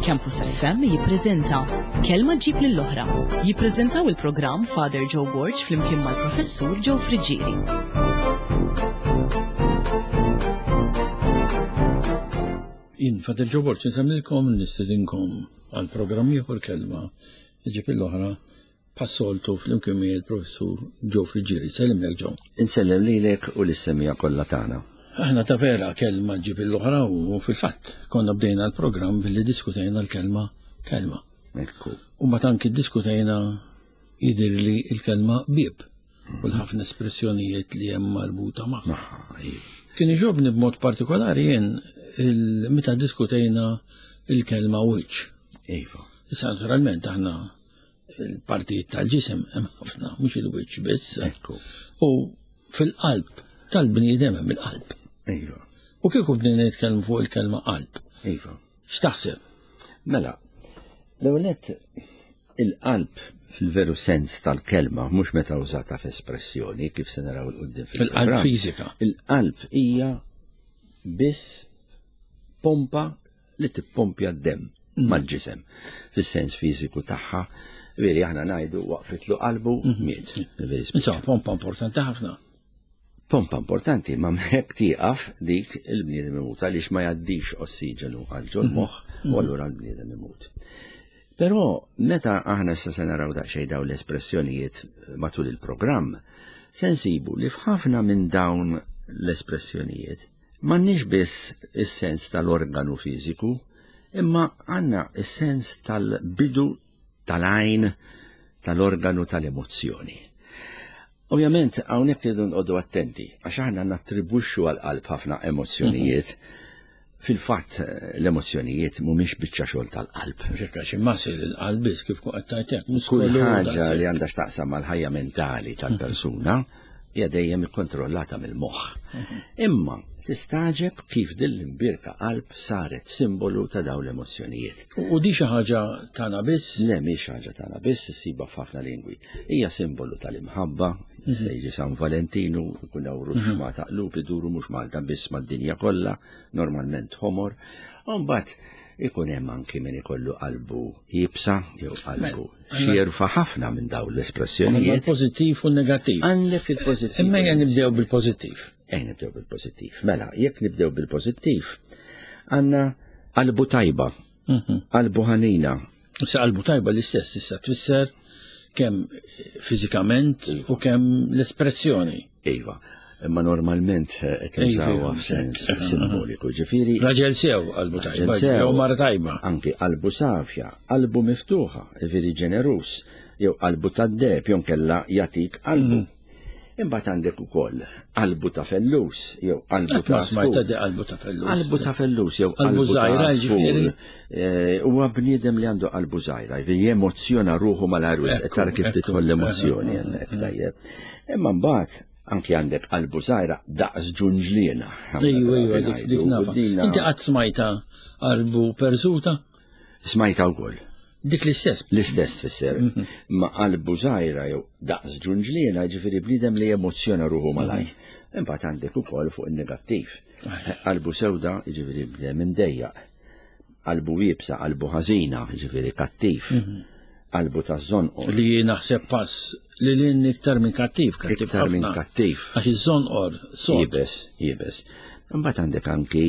Campus FM jippreżenta Kelma ġib lill-oħra. Jippreżentaw il-programm Father Joe Borg flimkien mal-Professur Joe Friggieri. Jien Father Joe Borg nsemmilkom nistedinkom għal programm ieħor kelma ġib l-oħra Bħas-soltu flimkien miegħi l-Professur Joe Friggieri. Sellimlek Joe. Insellem lilek u lis-semija kollha tagħna. Aħna ta' vera kelma ġib l-oħra u fil-fatt konna bdejna l-programm billi diskutejna l-kelma kelma. Ekku. U ma tanki diskutejna jidirli l-kelma bieb u l-ħafna espressjonijiet li hemm marbuta magħha. Iva. Kien iġobni b'mod partikolari jien meta diskutejna il-kelma wiċċ. Iva. Issa naturalment aħna il-partijiet tal-ġisem hemm ħafna, mhux il-wiċċ biss. Ekku. U fil-qalb tal-bniedem hemm il-qalb. Iva. U kieku bdejna nitkellmu fuq il-kelma qalb. Iva. X'taħseb? Mela, l-ewwel il-qalb fil-veru sens tal-kelma, mhux meta użata f'espressjoni kif se naraw il-qudiem fil-qalb fiżika. Il-qalb hija biss pompa li tippompja d-demm mm. mal-ġisem fis-sens fiżiku tagħha. Veri aħna ngħidu waqfitlu qalbu mm-hmm. miet. Insomma, pompa importanti ħafna. Pompa importanti, ma mhekk tieqaf dik il-bniedem imut għaliex ma jgħaddix ossiġenu għal ġol mm-hmm. moħħ u mm-hmm. allura l-bniedem imut. Però meta aħna issa se naraw daqsxejn dawn l-espressjonijiet matul il-programm, se nsibu li f'ħafna minn dawn l-espressjonijiet M'għandniex biss is-sens tal-organu fiżiku, imma għandna s-sens tal-bidu tal-għajn tal-organu tal-emozzjoni. Ovvjament, hawnhekk irridu nqogħdu attenti, għax aħna nattribwixxu għall-qalb ħafna emozzjonijiet. Fil-fatt, l-emozzjonijiet mhumiex biċċa xogħol tal-qalb. Hekk għax imma ssir il-qalb biss kif qed tgħid hekk. Kull ħaġa li għandha x'taqsam mal-ħajja mentali tal-persuna hija dejjem ikkontrollata mill-moħħ. Imma tistagħġeb kif din l-imbierka qalb saret simbolu ta' dawn l-emozzjonijiet. U di xi ħaġa tagħna biss? Le mhix ħaġa tagħna biss, issibha f'ħafna lingwi. Hija simbolu tal-imħabba, mhm. se jiġi San Valentinu, ikun hawn ruxma mhm. ta' qlub iduru mhux Malta biss mad-dinja kollha, normalment ħomor. U mbagħad ikun hemm anki min ikollu qalbu iebsa jew qalbu xierfa ħafna minn dawn l-espressjonijiet. Il-pożittiv u n-negattiv. Għandek il-pożittiv. Imma ejja nibdew bil-pożittiv. Ejja nibdew bil-pożittiv. Mela, jekk nibdew bil-pożittiv, għandna qalbu tajba, mhm. qalbu ħanina. Issa qalbu tajba l-istess issa tfisser kemm fiżikament u kemm l-espressjoni. Iva, imma normalment eh, qed nużawha f'sens simboliku, ġifieri. Raġel sew qalbu tajba, jew mara tajba. Anki qalbu safja, qalbu miftuħa, ġifieri ġeneruż, jew qalbu tad-deheb jew kella jagħtik qalbu. Mm. Imbagħad għandek ukoll qalbu ta' fellus jew qalbu ta' smajta di qalbu ta' fellus. Qalbu ta' fellus jew qalbu żgħira ġifieri. Eh, huwa bniedem li għandu qalbu żgħira, jiġifieri jemozzjona ruħu mal-ajru tara kif tidħol l-emozzjoni hemmhekk tajjeb. Imma mbagħad anki għandek qalbu żgħira daqs ġunġliena. Ejju, ejju, dik dik nafa. Inti qatt smajta qalbu perżuta? Smajta wkoll. Dik l-istess. L-istess tfisser. Mhm. Ma qalbu żgħira jew daqs ġunġliena, ġifieri bniedem li emozzjona ruħu malaj. Mhm. Imbagħad għandek ukoll fuq in-negattiv. Qalbu sewda, ġifieri bniedem imdejjaq. Qalbu iebsa, qalbu ħażina, ġifieri kattiv. Mhm. Qalbu ta' żonqor. Li naħseb pass li lin iktar minn kattiv, kattiv Iktar minn kattiv. Għax iż-żonqor, sod. Iebes, iebes. Imbagħad għandek anki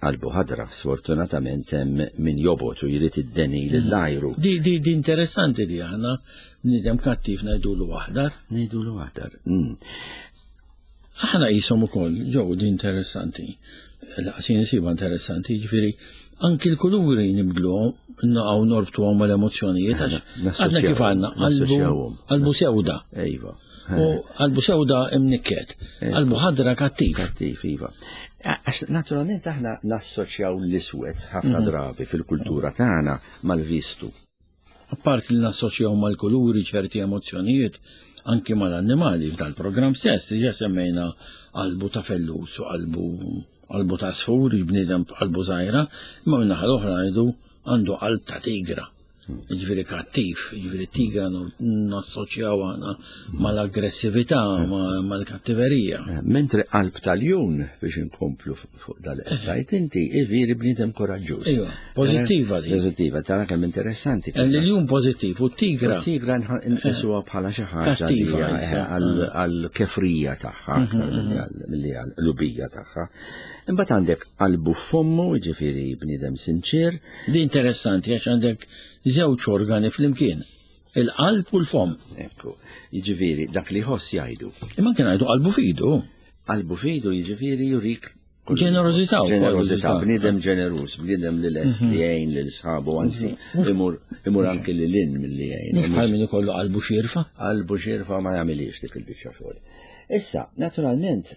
qalbu ħadra, sfortunatament hemm min jobgħod u jrid id-deni mhm. lill-ajru. Di, di, di interessanti di aħna bniedem kattiv ngħidulu aħdar. Ngħidulu aħdar. Mm. Aħna qishom ukoll, ġew di interessanti. Laqas jien insibha interessanti, jiġifieri anki l-kuluri nibdluhom, naqgħu norbtuhom mal-emozzjonijiet għax għadna kif għandna qalbu sewda. Iva. U qalbu sewda imnikket, qalbu ħadra kattiv. Kattiv, iva. Għax naturalment aħna nassoċjaw l-iswed ħafna mhm. drabi fil-kultura tagħna mal-vistu. Apparti li nassoċjaw mal-kuluri ċerti emozzjonijiet, anki mal-annimali f'dal-programm stess, diġà semmejna qalbu ta' fellus u qalbu qalbu ta' sfur, bniedem qalbu żgħira, imma min-naħa l-oħra ngħidu għandu qalb ta' tigra. Jiġifieri kattiv, jiġifieri tigra nassoċjaw aħna mal-aggressività, mal-kattiverija. Eh, mentre qalb tal-jun biex inkomplu fuq dal-qed inti, iviri bniedem koraġġuż. Iva, pożittiva di. Pożittiva, tara kemm interessanti. Eh, l-jun pożittiv u t-tigra. Tigra nqisuha bħala xi ħaġa eh, għal-kefrija tagħha, mhm, mhm. milli għal-lubija tagħha. Imbagħad għandek qalbu f'fommu, jiġifieri bniedem sinċir. Di interessanti għax għandek żewġ organi flimkien, il-qalb u l-fomm. Ekku, jiġifieri dak li jħoss jgħidu. Imma kien ngħidu qalbu fidu. Qalbu fidu jiġifieri jurik Ġenerosità. Ġenerosità, bniedem ġeneruż, bniedem li lest li mhm. jgħin lil sħabu, anzi, mhm. imur imur anki li lin milli jgħin. Mhux bħal min ikollu qalbu xirfa. Qalbu xirfa ma jagħmilix dik il-biċċa xogħol. Issa, naturalment,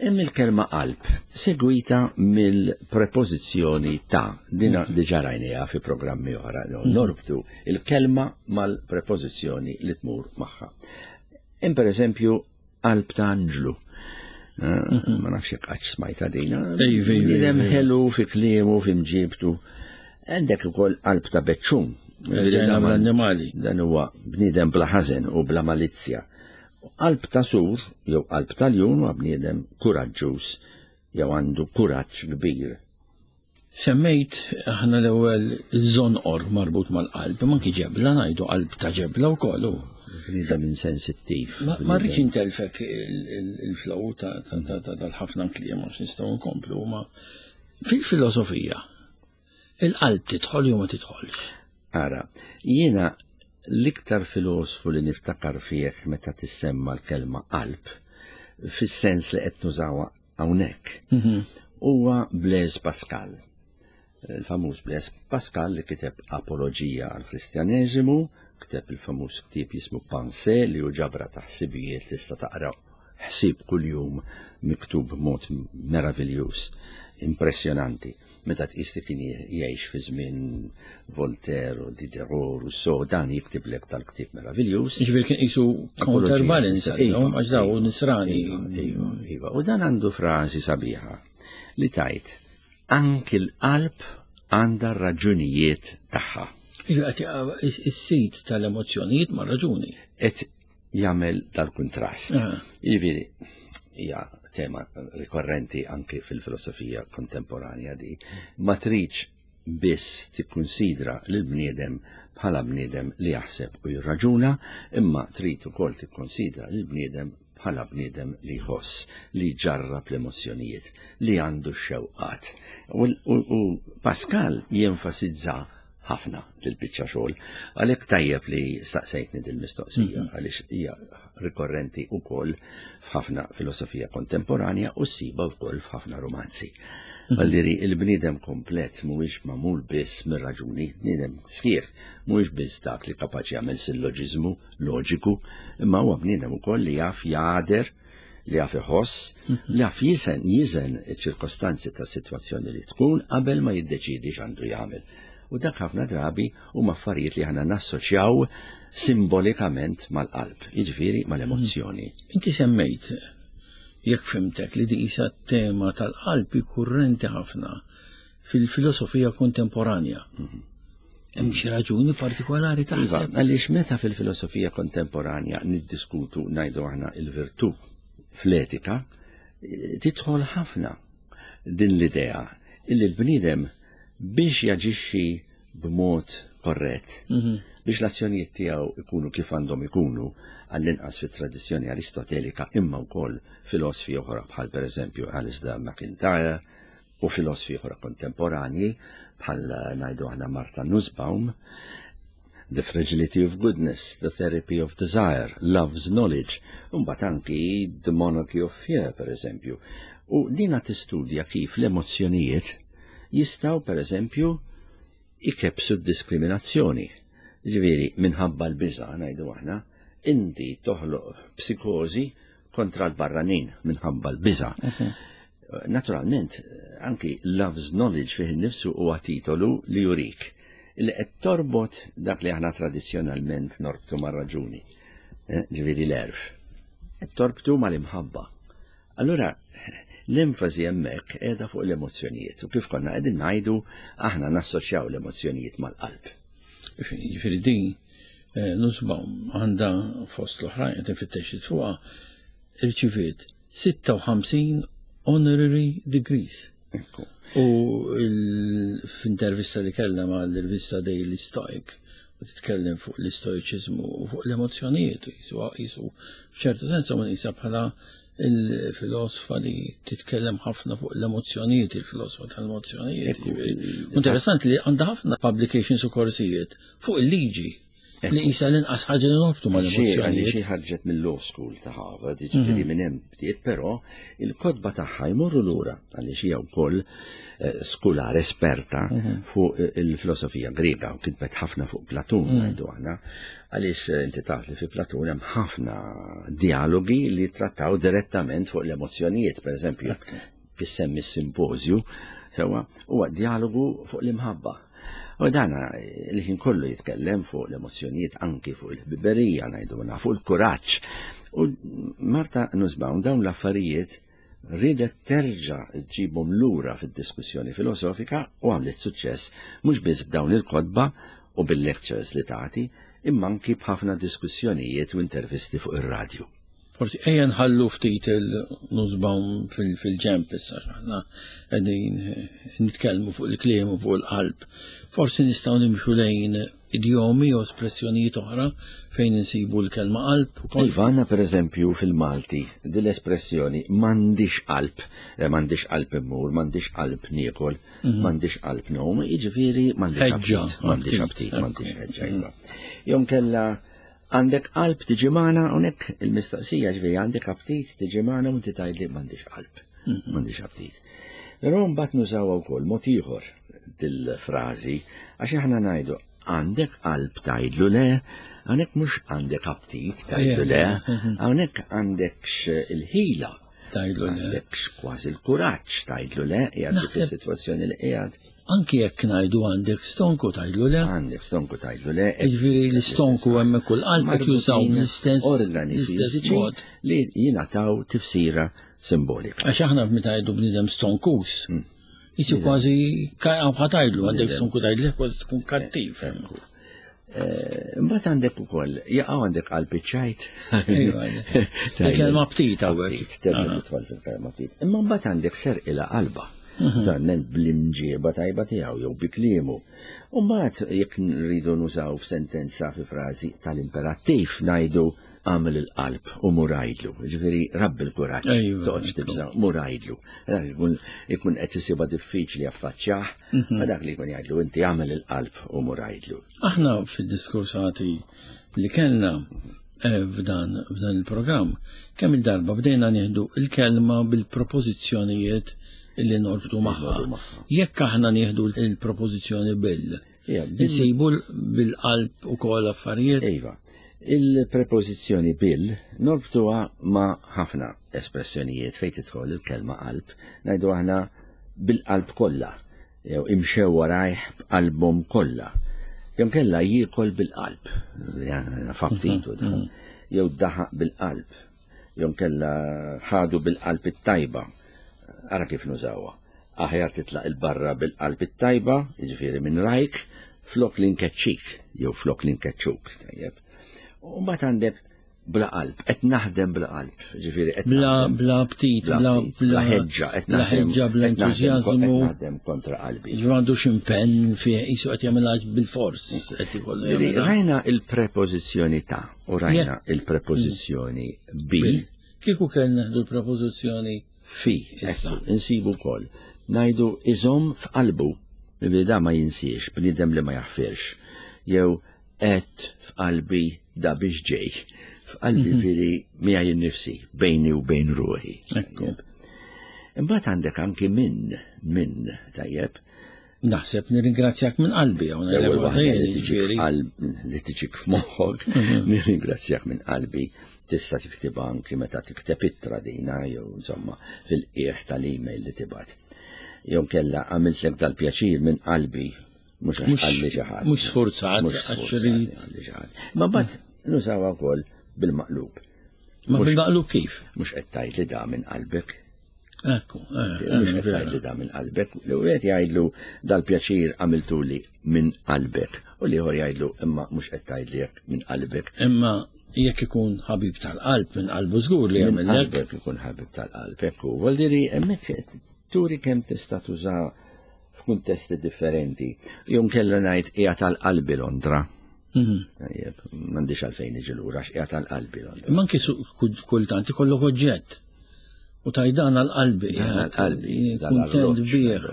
Hemm il-kelma qalb segwita mill-prepożizzjoni ta' dina mm. diġà rajniha fi programmi oħra, mm. norbtu il-kelma mal-prepożizzjoni li tmur magħha. Hemm pereżempju qalb ta' anġlu. Eh, mm-hmm. Ma nafx jekk qatt smajta dina. Bniedem ħelu fi kliemu, fi mġibtu. Għandek ukoll qalb ta' beċċun. Dan huwa bniedem bla ħażen u bla malizzja. Qalb ta' sur jew qalb ta' ljun huwa bniedem kuraġġuż jew għandu kuraġġ kbir. Semmejt aħna l-ewwel iż-żonqor marbut mal-qalb, imma anki ġebla ngħidu qalb ta' ġebla wkoll hu. Bniedem insensittiv. Ma rridx intelfek il-flow tal-ħafna kliem għax nistgħu nkomplu, ma fil-filosofija Il-qalb tidħol jew ma tidħolx? Ara, jiena l-iktar filosfu li niftakar fih meta tissemma l-kelma qalb, fis-sens li qed nużawha hawnhekk, mhm. huwa Blaise Pascal. Il-famuż Blaise Pascal li kiteb Apoloġija għall-Kristjaneżimu, kiteb il-famuż ktieb jismu Pensée li hu ġabra ta' ħsibijiet tista' taqra ħsieb kuljum miktub b'mod meraviljuż, impressjonanti. Meta tqis li kien jgħix fi żmien Voltaire u Diderot, Rousseau, dan jiktiblek tal-ktieb meraviljuż. Jiġifieri kien qisu counterbalance iva, għax daw nisrani. Iva, iva, iva. U dan għandu frażi sabiħa li tajt anki l-qalb għandha raġunijiet tagħha. Iva, is-sit tal-emozzjonijiet ma' raġuni. Et jagħmel dal-kuntrast. Ah. Jiġifieri hija tema rikorrenti anki fil-filosofija kontemporanja di, ma tridx biss tikkunsidra lil bniedem bħala bniedem li jaħseb u jirraġuna, imma trid ukoll tikkonsidra lil bniedem bħala bniedem li jħoss, li ġarrab l-emozzjonijiet, li għandu x-xewqat. U Pascal jenfasizza ħafna dil-biċċa xogħol. Għalhekk tajjeb li staqsejtni dil-mistoqsija mhm. għaliex hija rikorrenti wkoll f'ħafna filosofija kontemporanja u ssiba wkoll f'ħafna romanzi. Mhm. Għalliri il-bniedem komplet mhuwiex magħmul biss mir-raġuni, bniedem sħiħ mhuwiex biss dak li kapaċi jagħmel silloġiżmu loġiku, imma huwa bniedem ukoll li jaf jagħder li jaf iħoss, li jaf jisen, jiżen iċ-ċirkostanzi ta' sitwazzjoni li tkun qabel ma jiddeċiedi x'għandu jagħmel. U dak ħafna drabi huma affarijiet li aħna nassoċjaw simbolikament mal-qalb, jiġifieri mal-emozzjoni. Inti semmejt, jekk fimtek, li di isa tema tal-qalb kurrenti ħafna fil-filosofija kontemporanja. Mhm. Hemm xi raġuni partikolari taħseb? Iva, għaliex meta fil-filosofija kontemporanja niddiskutu ngħidu aħna il-virtù fl-etika, tidħol ħafna din l-idea illi l-bniedem biex jaġixxi b'mod korrett, mhm. biex l-azzjonijiet tiegħu ikunu kif għandhom ikunu għall-inqas fit-tradizzjoni aristotelika imma wkoll filosfi oħra bħal pereżempju Alasdair MacIntyre, u filosfi oħra kontemporanji bħal ngħidu aħna Martha Nussbaum, The Fragility of Goodness, The Therapy of Desire, Love's Knowledge, mbagħad anki The Monarchy of Fear, per eżempju. U dina tistudja kif l-emozzjonijiet jistgħu per eżempju ikebsu d-diskriminazzjoni. Ġifieri minħabba l-biża' ngħidu aħna, inti toħloq psikożi kontra l-barranin minħabba l-biża'. Mhm. Naturalment, anki Love's Knowledge fih innifsu huwa titolu li jurik li qed torbot dak li aħna tradizzjonalment norbtu mar-raġuni, eh, ġifieri l-erf. Qed torbtu mal-imħabba. Allura l-enfasi hemmhekk qiegħda fuq l-emozzjonijiet u kif konna qegħdin ngħidu aħna nassoċjaw l-emozzjonijiet mal-qalb. Jiġifieri din eh, Nussbaum għandha fost l-oħrajn qed infittex fuqha irċiviet 56 honorary degrees. U f'intervista li kellha mal-rivista Daily Stoic u titkellem fuq l-istoiċiżmu u fuq l-emozzjonijiet jisu jisu f'ċertu sens ma nisa bħala il-filosofa li titkellem ħafna fuq l-emozzjonijiet, il-filosofa tal-emozzjonijiet. Interessanti li għandha ħafna publications u korsijiet fuq il-liġi li jisa l-inqas ħaġa li norbtu ma l-emozzjonijiet. Xi ħarġet mill-law school ta' Harvard, jiġifieri mhm. minn hemm bdiet, però il-kotba tagħha jmorru lura għaliex hija wkoll eh, skular esperta mhm. fuq eh, il-filosofija Griega u kitbet ħafna fuq Platun mhm. ngħidu aħna għaliex eh, inti taf li fi Platun hemm ħafna dialogi li trattaw direttament fuq l-emozzjonijiet, per eżempju, tissemmi s-simpożju, sewa, huwa dialogu fuq l-imħabba. U dana li ħin kollu jitkellem fuq l-emozzjonijiet anki fuq il-ħbiberija ngħiduna, fuq il-kuraġġ. U Marta Nussbaum dawn l-affarijiet ridet terġa' ġġibhom lura fid-diskussjoni filosofika u għamlet suċċess mhux biss b'dawn il-kotba u bil-lectures li tagħti, imma anki b'ħafna diskussjonijiet u intervisti fuq ir-radju. Forsi ejja nħallu ftit il-Nussbaum fil-ġemp issa aħna qegħdin nitkellmu fuq il-kliem u fuq il-qalb. Forsi nistgħu nimxu lejn idjomi u espressjonijiet oħra fejn insibu l-kelma qalb. Iva, għandna pereżempju fil-Malti din l-espressjoni m'għandix qalb, eh, m'għandix qalb immur, m'għandix qalb niekol, mhm. m'għandix qalb nom, jiġifieri m'għandix aptit, m'għandix aptit, m'għandix ħeġġa. Iva. Jom kella Għandek qalb tiġi magħna hawnhekk il-mistoqsija ġifieri għandek aptit tiġi magħna u inti tgħidli m'għandix qalb. Mhm. M'għandix aptit. Però mbagħad nużawha wkoll mod ieħor dil-frażi għax aħna ngħidu għandek qalb tgħidlu le, hawnhekk mhux għandek aptit tgħidlu le, mhm. hawnhekk għandekx il-ħila Tgħidlu le. Għandekx kważi l-kuraġġ tgħidlu le, qiegħed dik is-sitwazzjoni li qiegħed. Anki jekk ngħidu għandek stonku tgħidlu le. Għandek stonku tgħidlu le. Jiġifieri l-istonku hemm kull qalb jużaw l-istess organi fiżiċi li jingħataw tifsira simbolika. Għax aħna meta ngħidu bniedem stonkus, hmm. jisu kważi ħatajlu għandek stonku tgħidlu kważi tkun kattiv. Eh, mbagħad għandek ukoll, jaqgħu għandek qalb iċ-ċajt. Il-kelma ptit hawnhekk. Terġa' tidħol fil-kelma ptit. Imma mbagħad għandek serqilha qalba. Mhm. Naturalment bl-imġieba tajba tiegħu jew bi kliemu. U mbagħad jekk nridu nużaw f'sentenza fi frażi tal-imperattiv ngħidu għamel il-qalb u murajdlu. Ġifieri rabbi l-kuraġġ, toqgħodx tibża' murajdlu. Dak ikun qed isibha diffiċli affaċċjah, mhm. ma dak li jkun jgħidlu inti għamel il-qalb u murajdlu. Aħna fid-diskursati li kellna eh, f'dan f'dan il-programm, kemm il-darba bdejna nieħdu il-kelma bil-propożizzjonijiet li norbtu magħha. Jekk aħna nieħdu il-propożizzjoni bil, insibu bil-qalb ukoll affarijiet. Iva. Il-prepożizzjoni bil norbtuha ma' ħafna espressjonijiet fejn tidħol il-kelma qalb, ngħidu aħna bil-qalb kollha, jew imxew warajh b'qalbhom kollha. Jew kella jiekol bil-qalb, f'aptitu, mhm, mhm. jew daħaq bil-qalb, jew kella ħadu bil-qalb it-tajba. Ara kif nużawha. Aħjar titlaq il-barra bil-qalb it-tajba, jiġifieri minn rajk, flok li nkeċċik, jew flok li nkeċċuk, tajjeb. U mbagħad għandek bla qalb, qed naħdem bla qalb, ġifieri qed bla bla ptit, bla bla ħeġġa, qed naħdem ħeġġa, bla entużjażmu, naħdem kontra qalbi. Ġifieri m'għandux impenn fih qisu qed jagħmilha bil-fors qed ikollu. Rajna il-prepożizzjoni ta' u rajna il-prepożizzjoni bi. Kieku kellna l-prepożizzjoni fi, issa, insibu wkoll. Ngħidu iżomm f'qalbu, li da ma jinsiex, bniedem li ma jaħfirx. Jew għedt f'qalbi da biex ġej. F'qalbi mhm. veri miegħi nnifsi, bejni u bejn ruħi. Ekku. Imbagħad għandek anki minn, minn, tajjeb. Naħseb nirringrazzjak minn qalbi hawn l-ewwel waħda li tiġik f'moħħok, mhm. nirringrazzjak minn qalbi. Tista' tiktibha anki meta tikteb ittra dina jew insomma fil-qiegħ tal-email li tibgħat. Jew kella għamiltlek dal-pjaċir minn qalbi Mhux għax qalli xi ħadd. Mhux sfurzat, mhux sfurzat. Ma mbagħad nużawha wkoll bil-maqlub. Ma bil-maqlub kif? Mhux qed tgħid li da minn qalbek. Ekku, eh, Mhux qed tgħidli da minn qalbek, li wieħed jgħidlu dal-pjaċir għamiltuli minn qalbek u l-ieħor jgħidlu imma mhux qed tgħidli hekk minn qalbek. Imma jekk ikun ħabib tal-qalb minn qalbu żgur li jagħmel hekk. Ikun ħabib tal-qalb, ekku. Vuol hemmhekk turi kemm tista' tuża f'kuntesti differenti. Jum kella ngħid hija tal-qalbi Londra. Mhm. Tajjeb, m'għandix għalfejn iġi lura x'qiegħed tal-qalbi Londra. Imma anke kultant ikollok oġġett. U tajdan għal-qalbi. Għal-qalbi. Kuntent bih.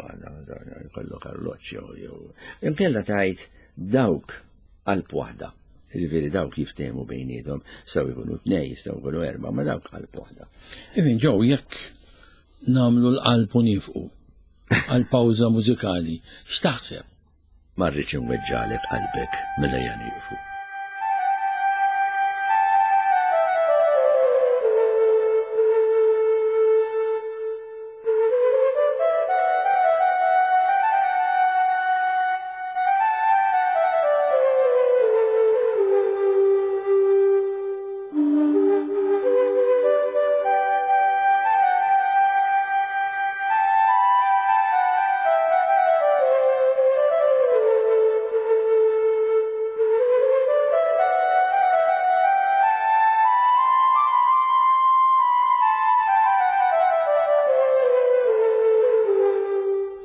Kollok arloġġ jew jew. Imkella tajt dawk qalb waħda. Ġifieri dawk jiftehmu bejniethom, sew ikunu tnej, sew ikunu erba', ma dawk qalb waħda. Ifin ġew jekk nagħmlu l-qalb u nifqu għal pawża mużikali, x'taħseb? Ma rridx inweġġagħlek qalbek mela ejja nieqfu.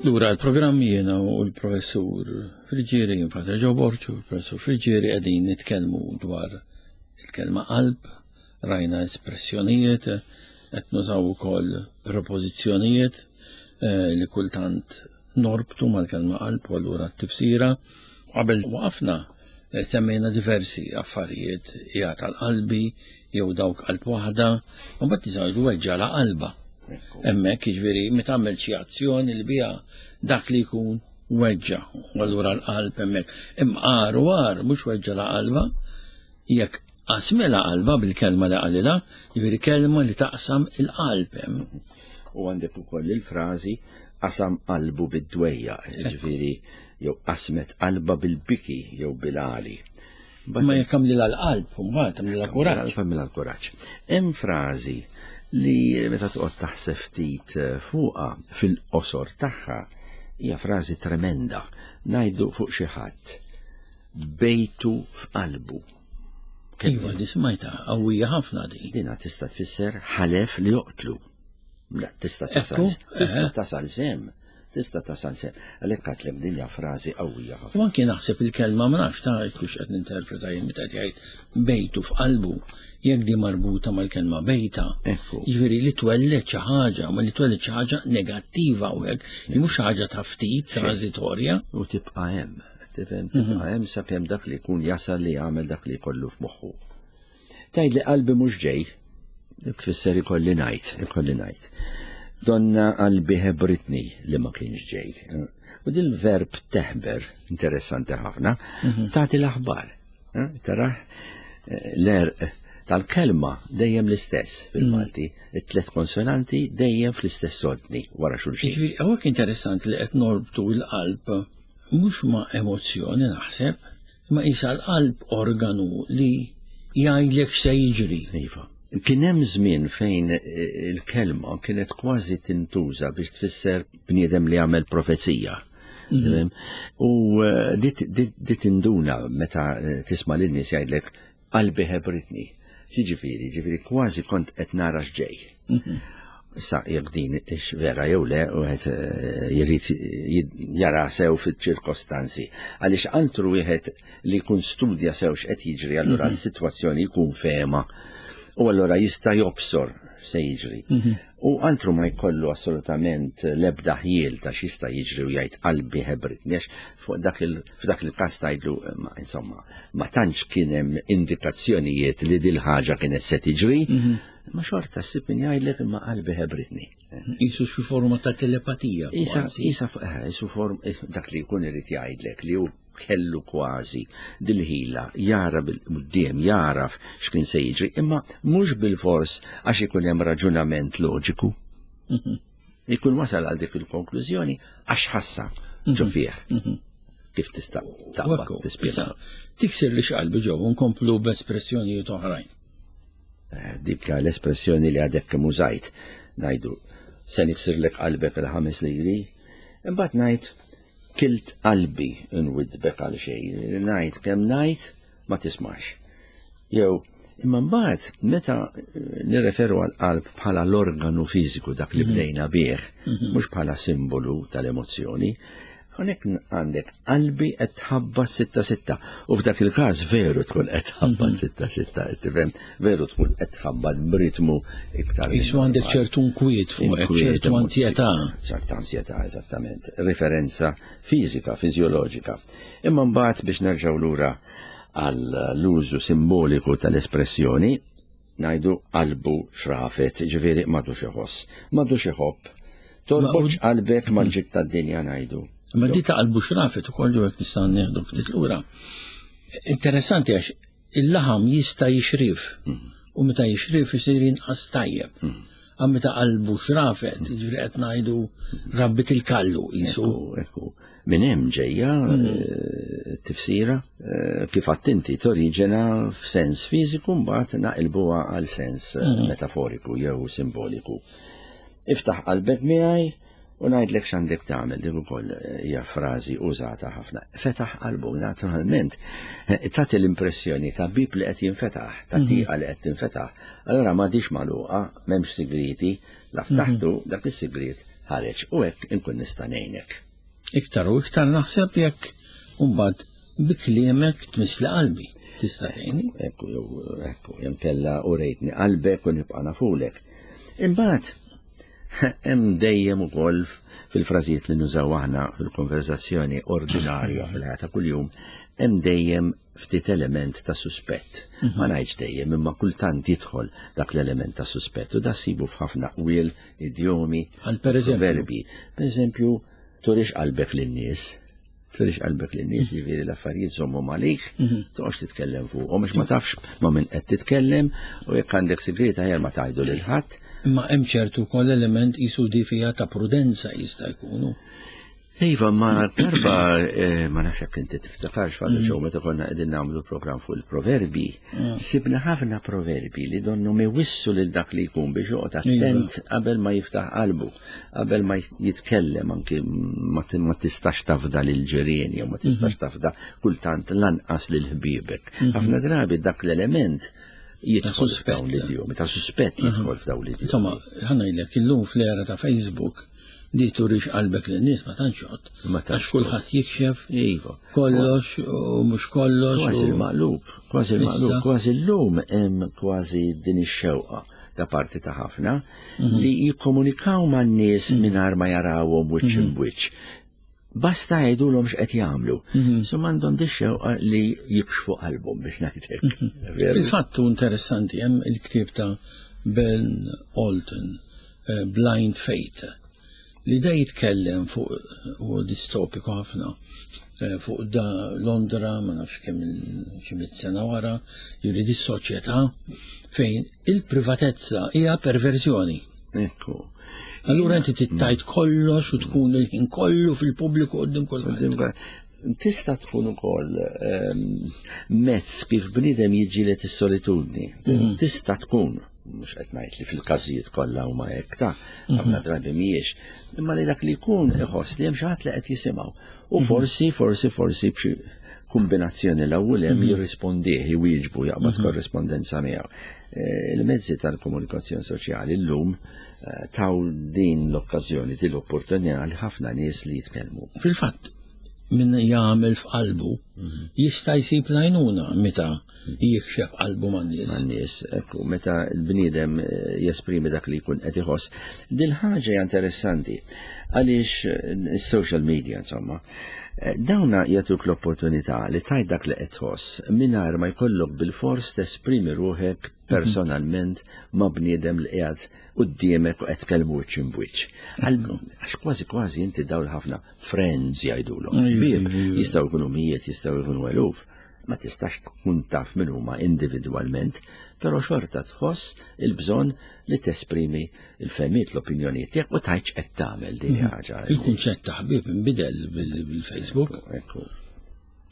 Lura l-programm jiena u l-professur Friġieri, Father Joe Borċu, l-professur Friġieri qegħdin nitkellmu dwar il-kelma qalb, rajna espressjonijiet, qed nużaw ukoll prepożizzjonijiet eh, li kultant norbtu mal-kelma qalb u allura t-tifsira. Qabel waqafna eh, semmejna diversi affarijiet hija tal-qalbi jew dawk qalb waħda, u mbagħad nistgħu weġġa la qalba. Hemmhekk jiġifieri meta tagħmel xi azzjoni li biha dak li jkun weġġa u allura l-qalb hemmhekk. Imqar u għar mhux weġġa la qalba, jekk qasmilha qalbha bil-kelma li qalilha, jiġifieri kelma li taqsam il-qalb hemm. U għandek ukoll il-frażi qasam qalbu bid-dwejja, jiġifieri jew qasmet qalba bil-biki jew bil-għali. Ma jekk għamlilha l-qalb, mbagħad għamlilha kuraġġ. Għamlilha l-kuraġġ. Hemm frażi li meta toqgħod taħseb ftit eh, fuqha fil-qosor tagħha hija frażi tremenda. Ngħidu fuq xi ħadd bejtu f'qalbu. Iva, di smajta, qawwija ħafna di. Dina tista' tfisser ħalef li joqtlu. La, tista' tasal, tista' eh. tasal sem, tista' tasal sem. Għalhekk għatlek din hija frażi qawwija ħafna. U anki naħseb il-kelma ma nafx ta' kux qed ninterpreta jien meta jgħid bejtu f'qalbu, jekk di marbuta mal-kelma bejta. Jiġifieri li twelled xi ħaġa, ma li twelled xi ħaġa negattiva u hekk, li mhux xi ħaġa ta' ftit transitorja. U tibqa' hemm. Tifhem tibqa' mhm. hemm sakemm dak li jkun jasal li jagħmel dak li jkollu f'moħħu. Tgħid li qalbi mhux ġej, tfisser ikolli ngħid, ikolli ngħid. Donna qalbi ħebritni li ma kienx ġej. U dil verb teħber, interessanti ħafna, mhm. tagħti l-aħbar. Eh, tara eh, l-erq tal-kelma dejjem l-istess fil-Malti, mm. it-tlet konsonanti dejjem fl-istess ordni wara xulxin. Jiġifieri, hawnhekk interessanti li qed norbtu l-qalb Mhux ma' emozzjoni naħseb, imma qisha l-qalb organu li jgħidlek x'se jiġri. Iva. Kien hemm żmien fejn eh, il-kelma kienet kważi tintuża biex tfisser bniedem li għamel profezija. Mhm. U eh, dit tinduna meta eh, tisma' lin-nies jgħidlek Qalbi ħebritni. Jiġifieri, ġifieri kważi kont qed nara x'ġej. Mhm. Issa jekk din ix vera jew le, wieħed eh, jrid jara sew fiċ-ċirkostanzi. Għaliex altru wieħed li jkun studja sew x'qed jiġri, allura mhm. s-sitwazzjoni jkun fehma. U allura jista' jobsor se jiġri. Mhm. U altru ma jkollu assolutament l-ebda ħjiel ta' x'jista' jiġri u jgħid qalbi ħebritni għax fuq dak il f'dak il-każ tgħidlu insomma ma tantx kien hemm indikazzjonijiet li dil ħaġa kienet se tiġri, mhm. ma xorta ssib min jgħidlek imma qalbi ħebritni. Isu xi forma ta' telepatija. Isa, isa, eh, isu form eh, dak li jkun irid jgħidlek li hu kellu kważi dil-ħila jara bil-qudiem jaraf x'kien se jiġri, imma mhux bil-fors għax ikun hemm raġunament loġiku. Mhm. Ikun wasal għal dik il-konklużjoni għax ħassa ġo mhm. fih. Mhm. Kif tista' taqbad tispjega. Tiksir li x'qalbi ġew nkomplu b'espressjonijiet oħrajn. Eh, dik l-espressjoni li għadek kemm użajt ngħidu. se niksirlek qalbek il-ħames liri. Imbagħad ngħid kilt qalbi nwiddbek għal xejn, ngħid kemm ngħid ma tismax. Jew imma mbagħad meta nirreferu għal qalb bħala l-organu fiżiku dak li mhm. bdejna bih, mhm. mhux bħala simbolu tal-emozzjoni, hawnhekk għandek qalbi qed tħabbat sitta sitta. U f'dak il-każ veru tkun qed tħabbat mhm. sitta sitta, tifhem, veru tkun qed tħabbat b'ritmu iktar. Isu għandek ċertu nkwiet fuq, ċertu ansjetà. ċerta ansjetà, eżattament. Referenza fiżika, fiżjoloġika. Imma mbagħad biex nerġgħu lura għall-użu simboliku tal-espressjoni, ngħidu qalbu xrafet, ġifieri m'għadux iħoss, m'għadux iħobb. Torbotx qalbek mal-ġid tad-dinja ngħidu. Ma di ta' qalbu xrafet ukoll ġew nista' nieħdu ftit lura. Interessanti għax il-laħam jista' jixrif mhm. u meta jixrif isir inqas tajjeb. Mhm. Għam meta qalbu xrafet, mhm. ġifieri qed ngħidu rabbit il-kallu jisu. Ekku, Minn hemm ġejja mm. eh, tifsira eh, kif attinti toriġena f'sens fiżiku mbagħad naqilbuha għal sens eh, mm. metaforiku jew simboliku. Iftaħ qalbek miegħi u ngħidlek x'għandek tagħmel dik ukoll hija frażi użata ħafna. Fetaħ qalbu naturalment tagħti l-impressjoni ta' bib li qed jinfetaħ, ta' mm-hmm. tieqa li qed tinfetaħ. Allura m'għadix magħluqa, m'hemmx sigriti, la ftaħtu mm-hmm. dak is-sigriet ħareġ u hekk inkun nista' ngħinek. Iktar u iktar naħseb jekk mbagħad bi kliemek tmissli qalbi. Tista' tgħinni? Ekku, jew ekku, jew kella u rejtni qalbek u nibqa' nafulek. Imbagħad hemm dejjem ukoll fil-frażijiet li nużaw aħna fil-konverzazzjoni ordinarja fil-ħajja ta' kuljum, hemm dejjem ftit element ta' suspett. Mhm. Ma ngħidx dejjem imma kultant jidħol dak l-element ta' suspett u da sibu f'ħafna qwiel, idjomi, verbi. Per eżempju, turix qalbek lin-nies, turix qalbek lin-nies, mhm. jiġifieri l-affarijiet żommhom għalik, mhm. toqgħodx titkellem fuqhom biex ma tafx ma' min qed titkellem u jekk għandek sigriet aħjar ma tgħidu lil ħadd. Imma hemm ċertu wkoll element qisu di fiha ta' prudenza jista' jkunu. Iva, ma darba, eh, ma nafx jekk inti tiftakarx fadda mm. ġew meta konna qegħdin nagħmlu programm fuq il-proverbi, mm. sibna ħafna proverbi li donnu iwissu lil dak li jkun biex joqgħod iva. attent qabel ma jiftaħ qalbu, qabel ma jitkellem anki ma tistax tafda lil ġirien jew ma tistax mm-hmm. tafda kultant lanqas lil ħbiebek. Mm-hmm. Ħafna drabi dak l-element jidħol f'dawn l-idjomi, ta' suspett jidħol f'dawn l-idjomi. Insomma, ħanajlek illum fl-era ta' Facebook, Di turix qalbek lin-nies ma tantx jgħodd. Ma tantx kulħadd jikxef. Iva. Kollox u mhux kollox. Kważi l-maqlub, kważi l-maqlub, kważi llum hemm kważi din ix-xewqa da parti ta' ħafna mhm. li jikkomunikaw man-nies mhm. mingħajr ma jarawhom wiċċ mhm. imbwiċċ. Basta jgħidulhom x'qed jagħmlu. So m'għandhom di xewqa li jikxfu qalbhom biex ngħidlek. Fil-fatt interessanti hemm il-ktieb ta' Ben Alton Eh, Blind Faith, li da jitkellem fuq u distopiku ħafna eh, fuq da Londra, ma nafx kemm xi sena wara, juri di soċjetà fejn il-privatezza hija perverżjoni. Ekku. Allura inti tittajt kollox u tkun il-ħin kollu fil-pubbliku qudiem kulħadd. Tista' tkun ukoll ehm, mezz kif bniedem jiġġieled is-solitudni. Mhm. Tista' tkun mhux qed ngħid li fil-każijiet kollha huma hekk ta' mhm. ħafna drabi mhijiex, imma li dak li jkun iħoss li hemm xi ħadd li qed jisimgħu. U mhm. forsi, forsi, forsi b'xi kombinazzjoni l-ewwel hemm mhm. jirrispondih, jwieġbu, jaqbad korrespondenza miegħu. Eh, il-mezzi tal-komunikazzjoni soċjali llum eh, taw din l-okkażjoni, din l-opportunità li ħafna nies li jitkellmu. Fil-fatt, min jagħmel f'qalbu mhm. jista' jsib l-għajnuna meta jikxef qalbu man-nies. Man-nies, ekku, meta l-bniedem eh, jesprimi dak li jkun qed iħoss. Dil ħaġa hija interessanti għaliex eh, is-social media insomma, eh, dawna jagħtuk l-opportunità li tajt dak li qed tħoss mingħajr ma jkollok bil-fors tesprimi ruħek mhm. personalment ma' bniedem li qiegħed quddiemek u qed tkellmu wiċċ imbwiċċ. Għax kważi kważi inti dawl ħafna friends jgħidulhom. Bieb jistgħu jkunu mijiet, jistgħu jkunu eluf. Ma tistax tkun taf min huma individwalment, però xorta tħoss il-bżonn li tesprimi l-fehmiet, l-opinjonijiet tiegħek u tgħidx qed tagħmel din mhm. ħaġa. Il-kunċett ta' ħbieb inbidel bil-Facebook. Ekku.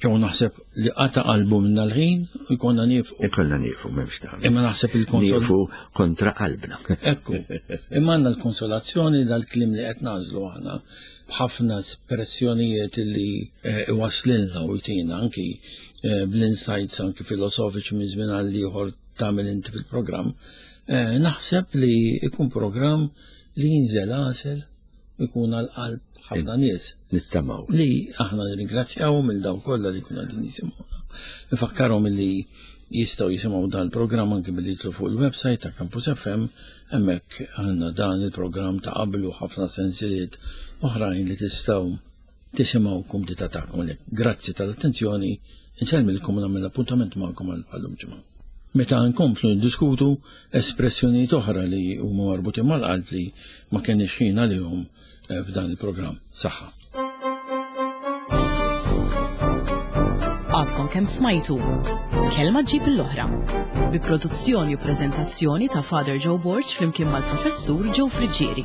Ġew naħseb li qata qalbu minna l-ħin u jkollna nieqfu. Ikollna nieqfu m'hemmx tagħmel. Imma naħseb il-konsol. Nieqfu kontra qalbna. Ekku. Imma għandna l-konsolazzjoni dal-kliem li qed nagħżlu aħna b'ħafna espressjonijiet li eh, iwaslilna u jtina anki eh, bl-insights anki filosofiċi minn żmien għal ieħor tagħmel inti fil-programm. Eh, naħseb li ikun programm li jinżel għasel ikun għal qalb ħafna nies. Nittamaw. Li aħna nirringrazzjaw mill daw kollha li kuna din jisimgħuna. Nfakkarhom li jistgħu jisimgħu dan il-programm anki billi jitlu fuq il-website ta' Campus FM, hemmhekk għandna dan il-programm ta' qabel u ħafna sensiliet oħrajn li tistgħu tisimgħu kumdità tagħkom. Grazzi tal-attenzjoni, insellmilkom u nagħmel appuntament magħkom għal bħallum ġimgħa. Meta nkomplu ndiskutu espressjonijiet oħra li huma marbutin mal-qalb li ma kenniex ħin għalihom eh, f'dan il-programm. Saħħa. Għadkom kemm smajtu Kelma ġib l-oħra bi produzzjoni u preżentazzjoni ta' Father Joe Borg flimkien mal-Professur Joe Friggieri.